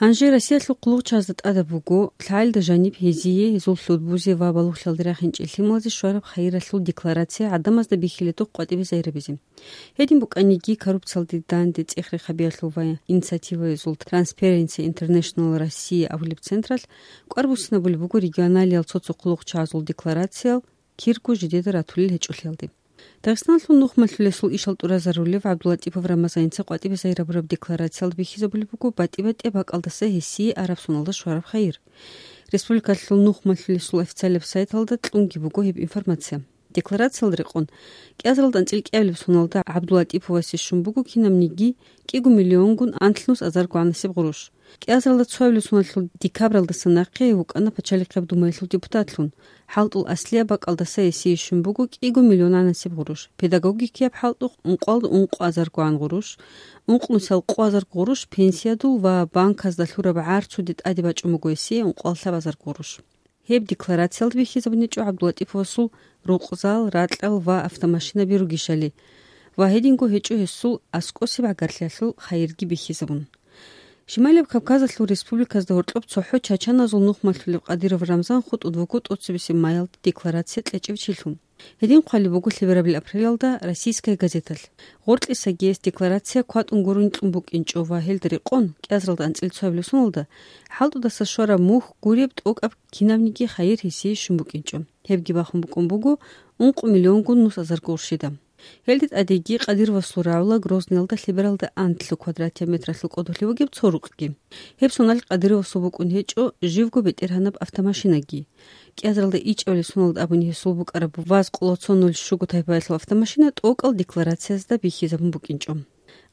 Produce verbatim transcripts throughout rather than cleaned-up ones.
Гьанже Россиялъул хъулухъчагьазда тӀадаб буго лъагӀелда жаниб гьезие, гьезул лъудбузе ва балугълъиялде рахинчӀел лъималазе щвараб хайиралъул декларация гӀадамазда бихьиледухъ къватӀибе загьирлъи гьабизе. Гьедин букӀаниги, коррупциялде данде цӀех-рех гьабиялъул ва инициативаязул Transparency International Россия абулеб централъ кӀвар буссинабулеб буго регионалиял цо-цо хъулухъчагьазул декларациял кирго жидеда ратулел гьечӀолъиялде. Дагъистаналъул нухмалъулесул ишал тӀуразарулев ГӀабдулатӀипов Рамазаница къватӀибе загьир гьабураб декларациялда бихьизабулеб буго батӀи-батӀияб бакӀалдаса гьесие араб соналда щвараб хайир. Республикалъул нухмалъулесул официалияб сайталда кьунги буго гьеб информация. Декларациялда рекъон, кӀиазаралда анцӀила кӀиабилеб соналда ГӀабдулатӀиповасе щун буго кинабниги кӀиго миллионгун анлънус азарго гӀанасеб гъурущ. КӀиазаралда цоабилеб соналъул декабралдаса нахъе гьев вукӀана Пачалихъеб Думаялъул депутатлъун. ХӀалтӀул аслияб бакӀалдаса гьесие щун буго кӀиго миллион гӀанасеб гъурущ, педагогикияб хӀалтӀухъ ункъоялда ункъо азарго гӀан гъурущ, ункънусиялда къо азарго гъурущ пенсиядул ва банказда лъураб гӀарцуде тӀаде бачӀун буго гьесие ункъоялда лъабазарго гъурущ. Гьеб декларациялда бихьизабуничӀо ГӀабдулатӀиповасул рукъзал, ракьал ва автомашинаби ругищали ва гьединго гьечӀо гьесул аскӀосеб гӀагарлъиялъул хайирги бихьизабун. Шималияб Кавказалъул республиказда гьоркьоб цохӀо чачаназул нухмалъулев Къадиров Рамзан хутӀун вуго тӀоцебесеб майялда декларация кьечӀев чилъун. Гьедин хъвалеб буго лъеберабил апрелалда «Российская газеталъ». Гъоркьисаги гьес декларация кватӀун гурони кьун букӀинчӀо ва гьелда рекъон, кӀиазаралда анцӀила цоабилеб соналда, хӀалтӀудаса щвараб мухь гуреб тӀокӀаб кинабниги хайир гьесие щун букӀинчӀо. Гьебги бахун букӀун буго ункъо миллионгун нус азарго гъурщида. Гьелде тӀадеги Къадировасул рагӀула Грозныялда лъебералда анлъго квадратияб метралъул кӀодолъи бугеб цо рукъги. Гьеб соналъ Къадировасул букӀун гьечӀо живго бетӀергьанаб автомашинаги. КӀиазаралда ичӀабилеб соналда абуни гьесул букӀараб ваз къоло цо нуль щуго тайпаялъул автомашина тӀокӀал декларациязда бихьизабун букӀинчӀо.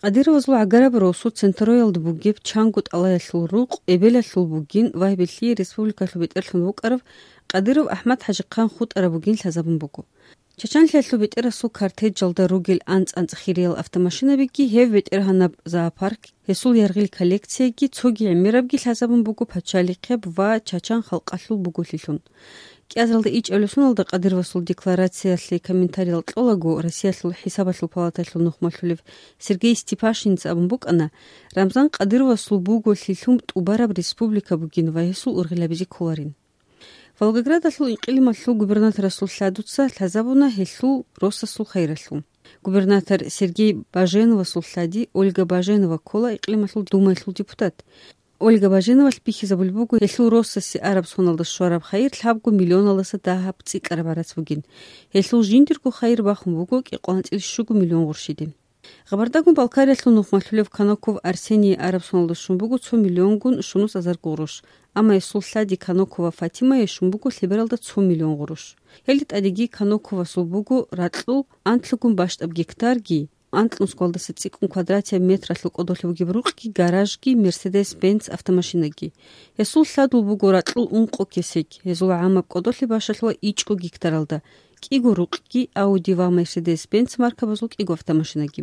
Къадировазул гӀагараб росу Центроялда бугеб чанго тӀалаялъул рукъ эбелалъул бугин ва гьеб лъие республикалъул бетӀерлъун вукӀарав Къадиров АхӀмад-ХӀажихъан хутӀараб бугин лъазабун буго. Чачанлъиялъул бетӀерасул картеджалда ругел анцӀ-анцӀ хириял автомашинабиги, гьев бетӀергьанаб зоопарк, гьесул яргъил коллекцияги цоги гӀемерабги лъазабун буго пачалихъеб ва чачан халкъалъул буголъилъун. КӀиазаралда ичӀабилеб соналда Къадировасул декларациялъе комментариял кьолаго, Россиялъул ХӀисабалъул палаталъул нухмалъулев Сергей Степашинца абун букӀана, Рамзан Къадировасул буголъилъун тӀубараб республика бугин ва гьесул ургъел гьабизе кколарин. Волгоградалъул инкъилималъул губернаторасул лъадуца лъазабуна гьелъул росасул хайиралъул. Губернатор Сергей Баженовасул лъади Ольга Баженова ккола Инкъилималъул Думаялъул депутат. Ольга Баженовалъ бихьизабулеб буго гьелъул росасе араб соналда щвараб хайир лъабго миллионалдаса дагьаб цӀикӀкӀараб гӀарац бугин. Гьелъул жиндирго хайир бахун буго кӀикъоялда анцӀила щуго миллион гъурщиде. Гъабардагун Балкариялъул нухмалъулев Каноков Арсений араб соналда щун буго цо миллионгун щунус азарго гъурущ, амма гьесул лъади Канокова Фатимае щун буго лъебералда цо миллион гъурущ. Гьелде тӀадеги Каноковасул буго ракьул анлъгун бащдаб гектарги, анлънусгоялдаса цӀикӀкӀун квадратияб метралъул кӀодолъи бугеб рукъги, гаражги, Мерседес-Бенц автомашинаги. Гьесул лъадул буго ракьул ункъо кесек, гьезул гӀамаб кӀодолъи бащалъула ичӀго гектаралда, кӀиго рукъги, Ауди ва Мерседес-Бенц маркабазул кӀиго автомашинаги.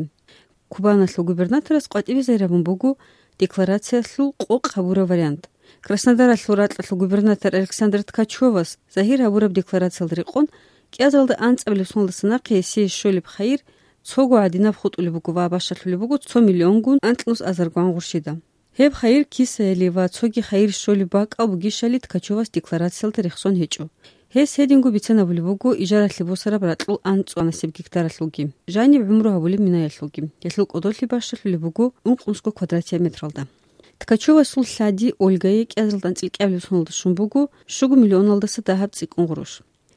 Кубаналъул губернаторас къватӀибе загьир гьабун буго декларациялъул къокъ гьабураб вариант. Краснодаралъул ракьалъул губернатор Александр Ткачевас загьир гьабураб декларациялда рекъон, кӀиазаралда анцӀабилеб соналдаса нахъе гьесие щолеб хайир цого гӀадинаб хутӀулеб буго ва бащалъулеб буго цо миллионгун анлънус азарго гъурщида. Гьеб хайир кисаялъе ва цоги хайир щолеб бакӀал бугищали Ткачевас декларациялда рехсон гьечӀо. Гьес гьединго бицанабулеб буго ижаралъе босараб ракьул анцӀ-анцӀаб гектаралъулги, жаниб гӀумру гьабулеб минаялъулги. Гьелъул кӀодолъи бащалъулеб буго ункънусго квадратияб метралда. Ткачевасул лъади Ольгае кӀиазаралда анцӀила кӀиабилеб соналда щун буго щуго миллионалдаса дагьаб цӀикӀкӀун гъурущ.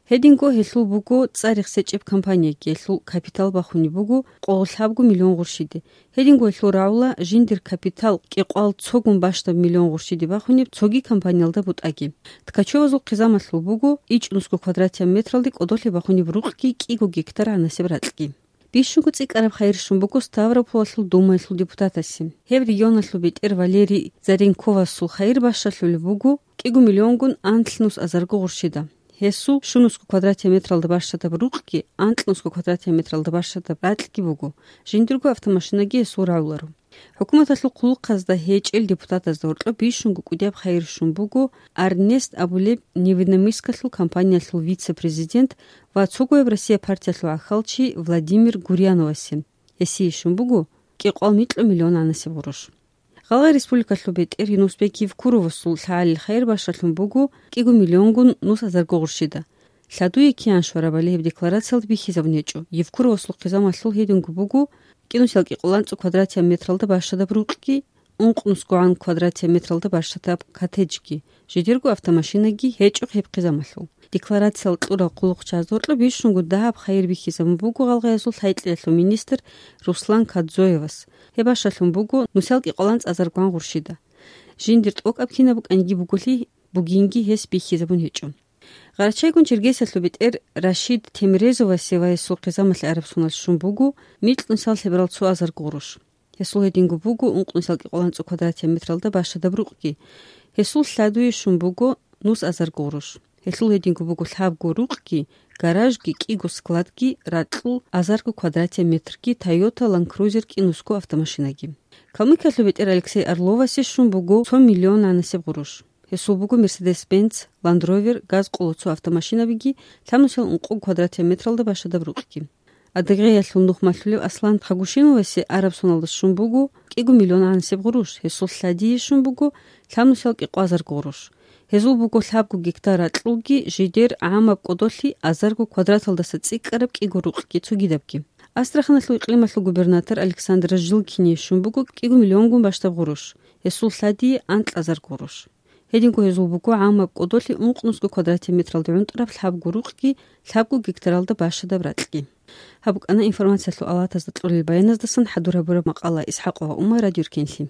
Гьединго гьелъул буго цӀар-рехсечӀеб компанияги, гьелъул капитал бахунеб буго къоло лъабго миллион гъурщиде. Гьединго гьелъул рагӀула жиндир капитал кӀикъоялда цогун бащдаб миллион гъурщиде бахунеб цоги компаниялда бутӀаги. Ткачевазул хъизамалъул буго ичӀнусго квадратияб метралде кӀодолъи бахунеб рукъги кӀиго гектар гӀанасеб ракьги. Бищунго цӀикӀкӀараб хайир щун буго Ставрополалъул Думаялъул депутатасе. Гьеб регионалъул бетӀер Валерий Заренковасул хайир бащалъулеб буго кӀиго миллионгун анлънус азарго гъурщида. Гьесул щунусго квадратияб метралда бащадаб рукъги, анлънусго квадратияб метралда бащадаб ракьги буго, жиндирго автомашинаги гьесул рагӀуларо. ХӀукуматалъул хъулухъазда гьечӀел депутатазда гьоркьоб бищунго кӀудияб хайир щун буго Арнест абулеб Невинномысскалъул компаниялъул вице-президент ва цогояб Россия партиялъул гӀахьалчи Владимир Гурьяновасе. Гьесие щун буго кӀикъоялда микьго миллион гӀанасеб гъурущ. Гъалгъай республикалъул бетӀер Юнусбек Евкуровасул лъагӀалил хайир бащалъун буго кӀиго миллионгун нус азарго гъурщида. Лъадуе киян щварабали гьеб декларациялда бихьизабун гьечӀо Евкуровасул хъизамалъул. Гьединго буго кӀинусиял кӀикъоланцӀу квадратия метралда бащадаб рукъги, ункънусгогӀан квадратия метралда бащадаб коттеджги, жидерго автомашинаги гьечӀо гьеб хъизамалъул. Декларациялъ кьурал хъулухъчиясда гьоркьоб бищунго дагьаб хайир бихьизабун буго гъалгъаязул лъайкьеялъул министр Руслан Кадзоевас. Гьеб бащалъун буго нусал кӀикъоланцӀазаргван гъурщида. Жиндир тӀокӀаб кинаб букӀанги буголи, бугинги гьес бихьизабун гьечӀо. Гъарачайгун Чергесиялъул бетӀер Рашид Темрезовасе ва гьесул хъизамалъе араб соналъ щун буго микьнусал лъеберал цо азарго гъурущ. Гьесул гьединго буго ункънусал кӀикъоланцӀу квадратия метралда бащадаб рукъги. Гьесул лъадуе щун буго нус азарго гъурущ. Гьелъул гьединго буго лъабго рукъги, гаражги, кӀиго складги, ракьул азарго квадратия метрги, Toyota Land Cruiser кӀинусго автомашинаги. Калмыкиялъул бетӀер Алексей Орловасе щун буго цо миллион гӀанасеб гъурущ. Гьесул буго Mercedes-Benz, Land Rover, газ къоло цо автомашинабиги, лъабнусиял ункъо квадратия метралда бащадаб рукъги. Адыгеялъул нух малъулев Аслан Хагушиновасе араб соналда щун буго кӀиго миллион гӀанасеб гъурущ, гьесул лъадие щун буго лъабнусиял кӀикъвазарго гъурущ. Гьезул буго лъабго гектар ракьулги, жидер гӀамаб кӀодолъи азарго квадраталдаса цӀикӀкӀараб кӀиго рукъги цогидабги. Астраханалъул икълималъул губернатор Александр Жилкине щун буго кӀиго миллионгун бащдаб гъурущ, гьесул лъадие анкьазарго гъурущ. Гьединго гьезул буго гӀамаб кӀодолъи ункънусго квадратия метралда гӀунтӀараб лъабго рукъги, лъабго гектаралда бащадаб ракьги. Гьаб букӀана информациялъул авалатазда кьолел баяназдасан хӀадур гьабураб макъала. ИсхӀакъова Умар, Радио Ркенлъи.